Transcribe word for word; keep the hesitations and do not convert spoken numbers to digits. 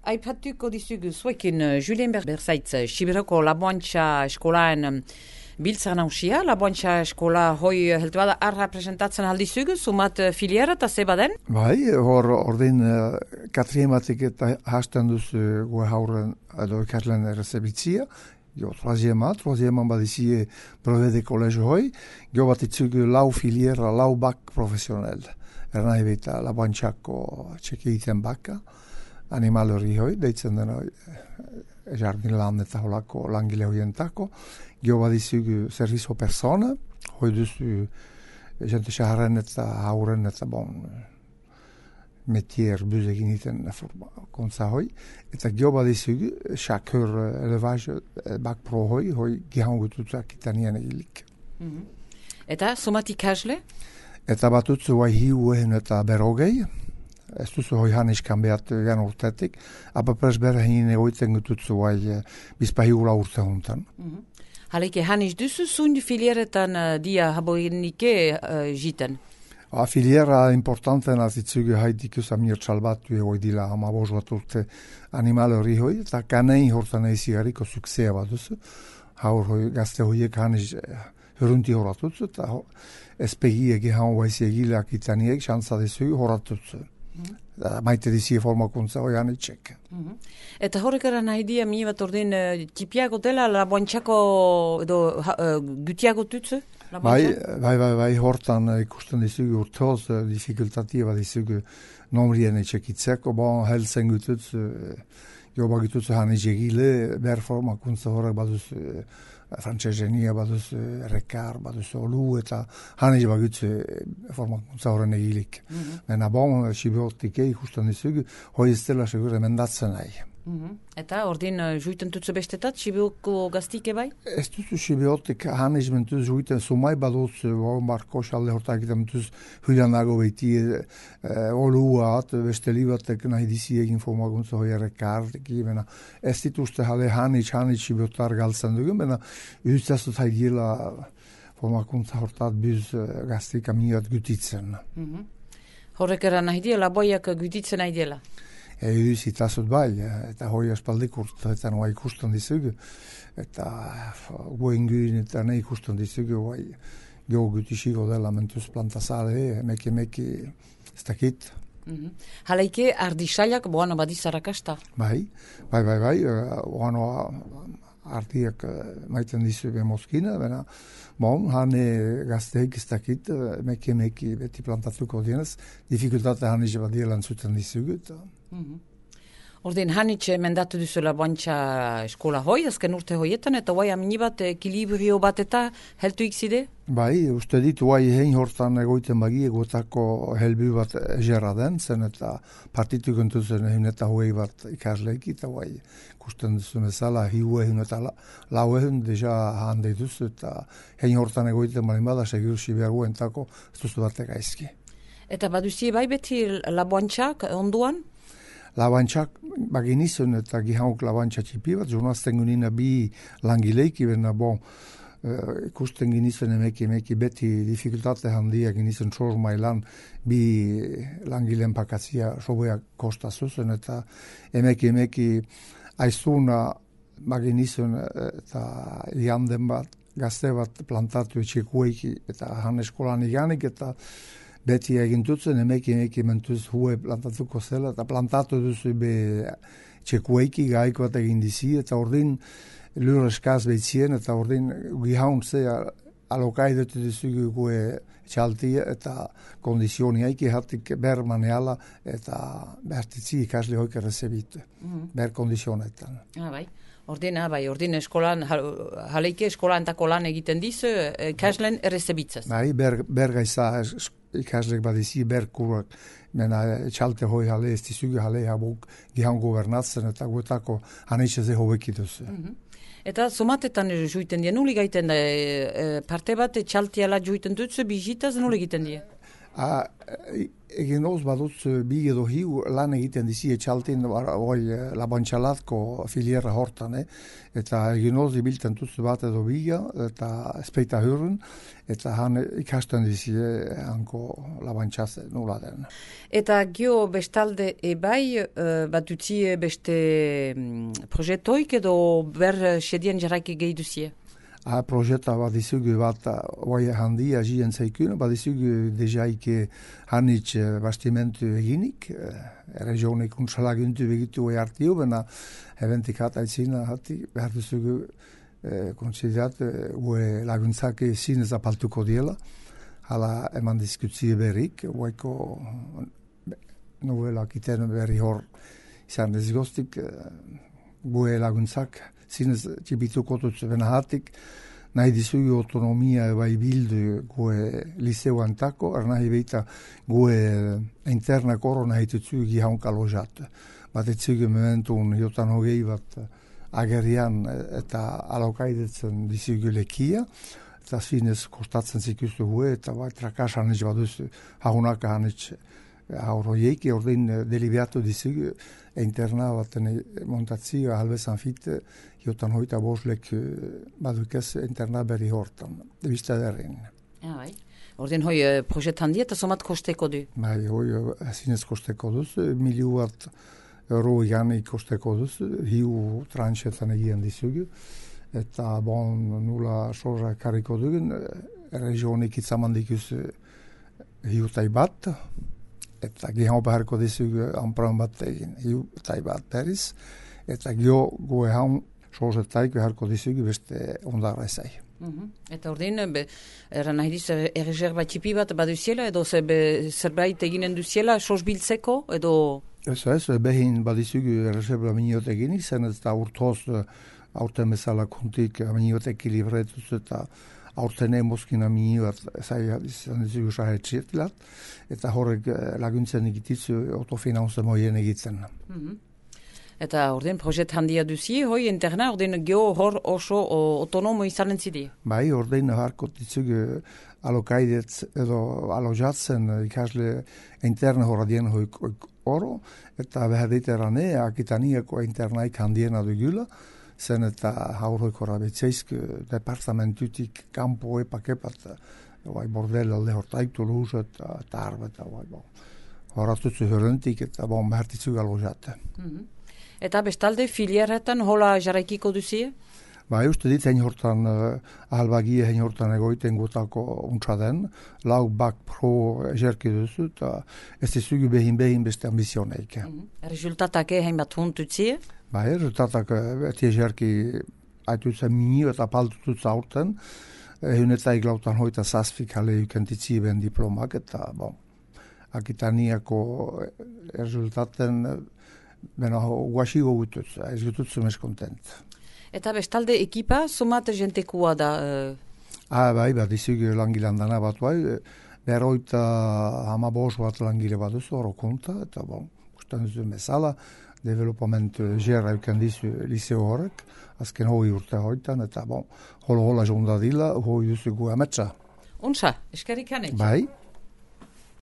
Aipatuko dizugu zuekin Julien Berzaitz, Sibiroko Laboantxa eskolaen biltzar nausia. Laboantxa eskola hoi heltu bada arra presentatzen aldizugu, sumat filiera eta zebaden? Bai, hor ordin katriematik eta hasten duzu gue hauren edo ikaslen errezebitzia. Jo, troisiema, troisiema badizie brevet de collège hoi, jo bat itzugu lau filiera, lau bak profesionel. Erna ebita Laboantxako txekiten baka. Animal hori hoi, deitzen dena jardin lan eta holako langile hoientako. Gio badizugu servizio persona, hoi duzu jente xaharren eta hauren eta bon metier buzegin iten kontza hoi. Eta gio badizugu xakur elevage bak pro hoi, hoi gihangututzak itanien egilik. Mm-hmm. Eta somatik hasle? Eta batutzu bai hiuen eta berogei. Ez duzu hoi hanis kanbeat jan urtetik, apa presbera hinin egoiten gututzu bai bizpa hiula urte hontan. Mm-hmm. Haleke hanis duzu zun filieretan uh, dia haboinike uh, jiten? A filiera importanten azitzugu haidikus amir txalbatu egoi dila hama bozuat urte animale hori hoi, eta kanei hortan ezi hariko suksea bat duzu. Haur hoi gazte hoiek hanis hurunti horatutzu, eta espegiek ihan baizi egilak itaniek xantza dezugu horatutzu. Mm-hmm. Maite dizie formakuntza hoi anitxek. Mm-hmm. Eta horrekara nahi dia mi bat ordin uh, tipiago dela Laboantxako edo uh, gutiago tutzu? Bai, bai, bai, bai, hortan ikusten dizugu urtoz uh, dificultativa dizugu nomrien etxekitzeko, bon, helzen gututz, uh, joba gututz hanitx egile, ber formakuntza horrek baduz uh, frantzesenia baduz rekar, baduz olu eta hanitx bagutz formakuntza horren egilik. Mm-hmm. Mena bon, sibiotike ikusten dizugu, hoi ez dela segur emendatzen nahi. Mm-hmm. Eta ordin uh, juiten tutzu bestetat, sibioko gaztike bai? Ez duzu sibiotik hanitx mentuz juiten sumai baduz, uh, marko xalde hortak eta mentuz hulianago behiti uh, oluat, beste libatek nahi dizi egin formakuntza hoi rekar, mena ez dituzte jale hanitx, hanitx sibiotar galtzen dugu, mena Üstazut haidiela formakuntza hortat biz gaztik amiat gutitzen. Mm-hmm. Horrekera nahi diela, boiak gutitzen nahi diela? E, Itazut bai, eta hoi aspaldik urtetan bai ikusten dizugu, eta goenguin eta ne ikusten dizugu, bai geho gutixiko dela mentuz plantazale, emeki emeki ez dakit. Mm-hmm. Haleike ardisailak boano badizarakasta? Bai, bai, bai, bai, boano ardiak maiten dizu be moskina, bena, bon, hane gazteik ez dakit, emeki emeki beti plantatuko dienez, dificultate hanitxe badielan zuten dizugu, eta... Mm-hmm. Ordin hanitxe mendatu duzu Laboantxa eskola hoi, azken urte hoietan, eta guai aminibat ekilibrio bat eta heltu ikzide? Bai, uste dit, guai hein hortan egoiten bagi egotako helbi bat egerra den, zen eta partitu gentuzen egin eta hoi bat ikasleik, eta guai kusten duzu bezala, hiu egin eta lau egin deja hande duzu, eta hein hortan egoiten bali bada, segur sibiago entako ez duzu batek aizki. Eta baduzie bai beti Laboantxak onduan? Laboantxak baginizun eta gihauk Laboantxa txipi bat, jurnazten gunina bi langileiki, bena bon, uh, ikusten ginizun emeki emeki beti dificultate handia ginizun txor mailan bi langileen pakatzia sobeak kosta zuzen, eta emeki emeki aizuna baginizun eta lianden bat, gazte bat plantatu etxekueiki eta han eskolan iganik, eta beti egintutzen, emeki emeki mentuz hue plantatuko zela, eta plantatu duzu be txekueiki gaiko bat egin dizi, eta ordin lur eskaz behitzien, eta ordin gihauntze alokai dut duzu gue txaltia, eta kondizioni haiki hatik ber maneala, eta bertitzi ikasle hoik errezebitu, mm-hmm. ber kondizionetan. Ah, bai. Ordin, ah, bai, ordin eskolan, jaleike eskolan eta kolan egiten dizu, ikaslen errezebitzaz. Bai, ber, ber gaiza ikaslek badizi berkurak, mena txalte hoi jale, ez dizugu jale habuk gihan gobernatzen, eta guetako hanitxe ze hobekituz. Mm-hmm. Eta somatetan juiten die, nuli gaiten da, e, parte bat txaltiala juiten dutzu, bizitaz nuli egiten die? A, egin oz baduz bi edo hiu lan egiten dizi etxaltin hoi labontxalatko filiera hortan, eh? Eta egin oz ibilten tuzu bat edo biga eta espeita hurren, eta han ikasten dizi hanko labontxaze nula den. Eta gio bestalde ebai uh, bat utzi beste um, proiektoik edo ber sedien jarraiki gehi duzie? A projeta badizugu bat oai handia jien zaikun, badizugu dejaike hanitz bastimentu eginik, regionik untsalaguntu begitu oi hartiu, bena eventik hat aitzina hati, behar duzugu konsiderat ue laguntzake zinez apaltuko diela, hala eman diskutzie berrik, oaiko nuela kiten berri hor izan ezgostik, ue laguntzak zinez txibituko dut benahatik, nahi dizugu autonomia bai bildu gue liceu antako, er nahi beita gue interna koro nahi tutzugu gihaunka lojat. Bat etzugu mementun jotan hogei bat agerian eta alokaidetzen dizugu lekia, eta zinez kostatzen zikustu gue, eta bai trakas hanitz baduzu haunaka hanitz aurroieki, ordein delibiatu dizugu interna baten montatzio halbezan fit, jotan hoita boslek badukez interna berri hortan, bista derrin. Ja, bai. Ordein hoi projet handia eta somat kosteko du? Bai, hoi zinez kosteko duz, miliu bat euro gani kosteko duz, hiu tranxetan egien dizugu, eta bon nula sorra kariko dugun, regionik itzamandikuz hiu tai bat, eta gihau beharko dizugu anpran bat egin, hiu tai bat periz, eta gio goe haun sozetaik beharko dizugu beste ondarra ezai. Mm-hmm. Eta ordein, eran nahi diz, erreserba txipi bat baduziela, edo zerbait eginen duziela, soz biltzeko, edo... Ez ez, behin badizugu erreserba miniot eginik, zen eta urtoz aurten bezala kontik miniot ekilibretuz eta aurten emozkina miniot ezai izan dizugu sahetxirtilat, eta horrek laguntzen egititzu autofinanze moien egitzen. Mm-hmm. Eta ordein projet handia duzi, hoi interna ordein geo hor oso autonomo izanen zidi? Bai, ordein harko ditzug alokaidetz edo alojatzen ikasle interna horadien hoi oro, eta behar diterane akitaniako internaik handiena dugula, zen eta haurroik horabetzeizk departamentutik kampo epak-epat, bai bordel alde hortaik Toulouse eta Tarbes, eta bai bon. Horatutzu hörrentik eta bon behar ditzug alojate. Mm-hmm. Eta bestalde filieretan hola jarraikiko duzie? Ba, uste dit, hein hortan, uh, ahalbagie hein hortan egoiten gutako untsa den, lau bak pro jerki duzu, eta ez dizugu behin-behin beste ambizioneik. Mm-hmm. Resultatak hein bat huntutzie? Ba, resultatak eti jerki aitutzen minio eta paltututza aurten, ehunetaik lautan hoita zazfik hale ukentitzi ben diplomak, eta bon, akitaniako resultaten bena guaxigo gututz, ez gututzu mes kontent. Eta bestalde ekipa, somat jentekua da? Uh... Ah, bai, bat izugu langilandana bat bai, beroita hama bos bat langile bat duzu, oro konta, eta bon, usten duzu mesala, developament gerra euken dizu liceo horrek, azken hoi urte hoitan, eta bon, holo-hola jonda dila, hoi duzu gu ametsa. Unsa, eskerrik hanek? Bai.